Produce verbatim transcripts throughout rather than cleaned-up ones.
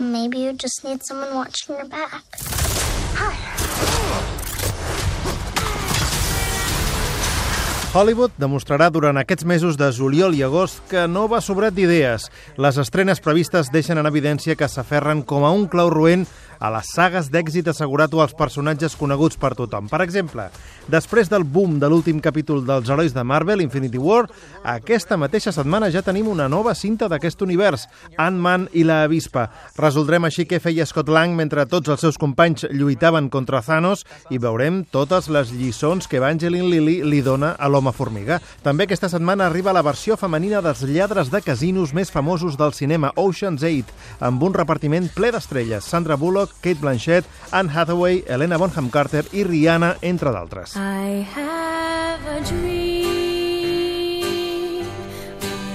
Maybe you just need someone watching your back. Hollywood demostrarà durant aquests mesos de juliol i agost que no va sobrat d'idees. Les estrenes previstes deixen en evidència que s'aferren com a un clau roent a les sagues d'èxit assegurat o als personatges coneguts per tothom. Per exemple, després del boom de l'últim capítol dels herois de Marvel, Infinity War, aquesta mateixa setmana ja tenim una nova cinta d'aquest univers, Ant-Man i la avispa. Resoldrem així què feia Scott Lang mentre tots els seus companys lluitaven contra Thanos i veurem totes les lliçons que Evangeline Lilly li dona a l'home formiga. També aquesta setmana arriba la versió femenina dels lladres de casinos més famosos del cinema, Ocean's eight, amb un repartiment ple d'estrelles. Sandra Bullock, Kate Blanchett, Anne Hathaway, Helena Bonham Carter i Rihanna, entre d'altres. I have a dream,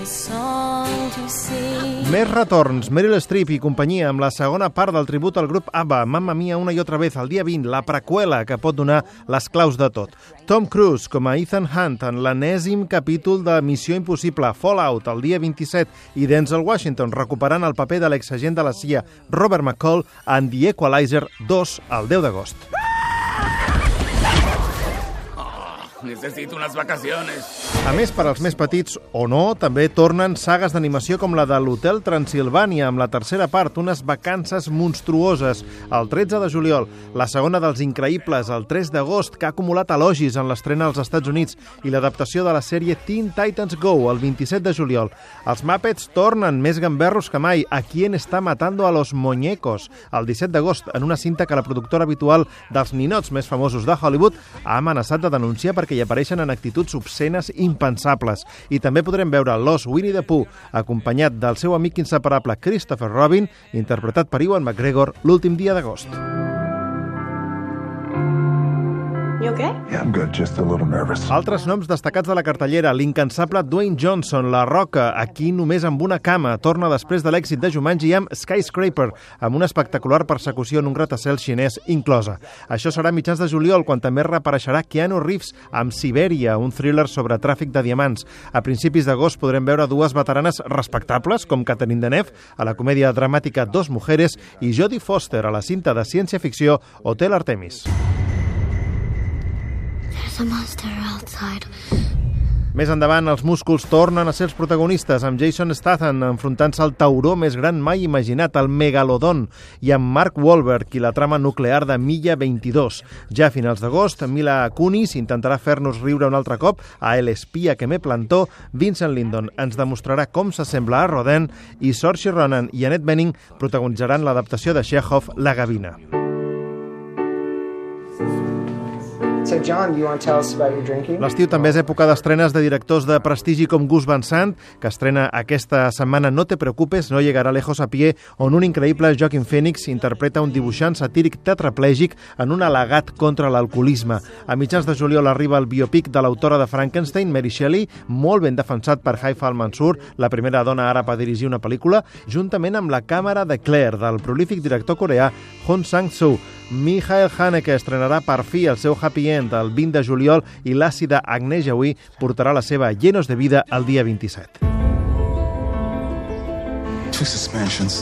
a song to sing. Més retorns, Meryl Streep i companyia amb la segona part del tribut al grup ABBA, Mamma Mia una i otra vez, el dia vint, la preqüela que pot donar les claus de tot. Tom Cruise com a Ethan Hunt en l'enèsim capítol de Missió Impossible, Fallout, el dia vint-i-set, i Denzel Washington recuperant el paper de l'exagent de la C I A, Robert McCall, en The Equalizer dos, el deu d'agost. Necesito unas vacaciones. A més, per als més petits, o no, també tornen sagues d'animació com la de l'Hotel Transilvània, amb la tercera part, unes vacances monstruoses, el tretze de juliol, la segona dels Increïbles, el tres d'agost, que ha acumulat elogis en l'estrena als Estats Units, i l'adaptació de la sèrie Teen Titans Go, el vint-i-set de juliol. Els Muppets tornen més gamberros que mai, A quién está matando a los muñecos, el disset d'agost, en una cinta que la productora habitual dels ninots més famosos de Hollywood ha amenaçat de denunciar perquè hi apareixen en actituds obscenes impensables. I també podrem veure l'os Winnie the Pooh, acompanyat del seu amic inseparable Christopher Robin, interpretat per Ewan McGregor, l'últim dia d'agost. You okay? Yeah, I'm good, just a little nervous. Altres noms destacats de la cartellera, l'incansable Dwayne Johnson, La Roca, aquí només amb una cama, torna després de l'èxit de Jumanji amb Skyscraper, amb una espectacular persecució en un gratacel xinès inclosa. Això serà a mitjans de juliol, quan també reapareixerà Keanu Reeves amb Sibèria, un thriller sobre tràfic de diamants. A principis d'agost podrem veure dues veteranes respectables, com Catherine Deneuve, a la comèdia dramàtica Dos Mujeres, i Jodie Foster, a la cinta de ciència-ficció Hotel Artemis. There's a monster outside. Més endavant, els músculs tornen a ser els protagonistes, amb Jason Statham enfrontant-se al tauró més gran mai imaginat, el Megalodon, i amb Mark Wahlberg i la trama nuclear de Milla vint-i-dos. Ja a finals d'agost, Mila Kunis intentarà fer-nos riure un altre cop a El espia que me plantó, Vincent Lindon ens demostrarà com s'assembla a Rodin, i Saoirse Ronan i Annette Bening protagonitzaran l'adaptació de Chekhov, La gavina. So, John, do you want to tell us about your drinking? L'estiu també és època d'estrenes de directors de prestigi com Gus Van Sant, que estrena aquesta setmana No te preocupes, no llegarà lejos a pie, on un increïble Joaquin Phoenix interpreta un dibuixant satíric tetraplègic en un al·legat contra l'alcoholisme. A mitjans de juliol arriba el biopic de l'autora de Frankenstein, Mary Shelley, molt ben defensat per Haifa Al-Mansour, la primera dona àrab a dirigir una pel·lícula, juntament amb la càmera de Claire, del prolífic director coreà Hong Sang-soo. Michael Haneke estrenarà per fi el seu Happy End el vint de juliol i l'àcida Agnès Jaoui portarà la seva Llenos de vida el dia vint-i-set. Two suspensions.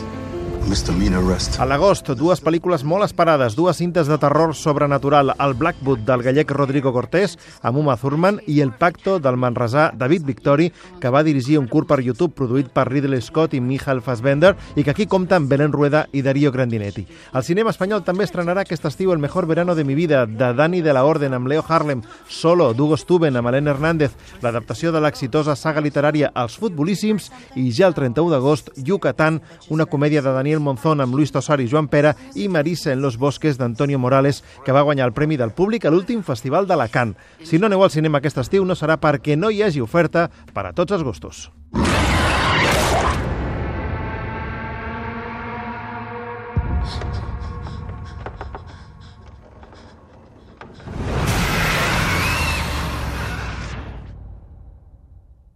Misdemeanor arrest. A l'agost, dues pel·lícules molt esperades, dues cintes de terror sobrenatural, el Blackwood del gallec Rodrigo Cortés, amb Uma Thurman, i El pacto del manresà David Victori, que va dirigir un curt per YouTube produït per Ridley Scott i Michael Fassbender, i que aquí compta amb Belén Rueda i Darío Grandinetti. El cinema espanyol també estrenarà aquest estiu El mejor verano de mi vida, de Dani de la Orden amb Leo Harlem, Solo, d'Hugo Stuben amb Helena Hernández, l'adaptació de l'exitosa saga literària Els futbolíssims, i ja el trenta-u d'agost, Yucatán, una comèdia de Daniel Monzón amb Luis Tosar i Joan Pera, i Marisa en los bosques d'Antonio Morales, que va guanyar el Premi del Públic a l'últim festival d'Alacant. Si no aneu al cinema aquest estiu, no serà perquè no hi hagi oferta per a tots els gustos.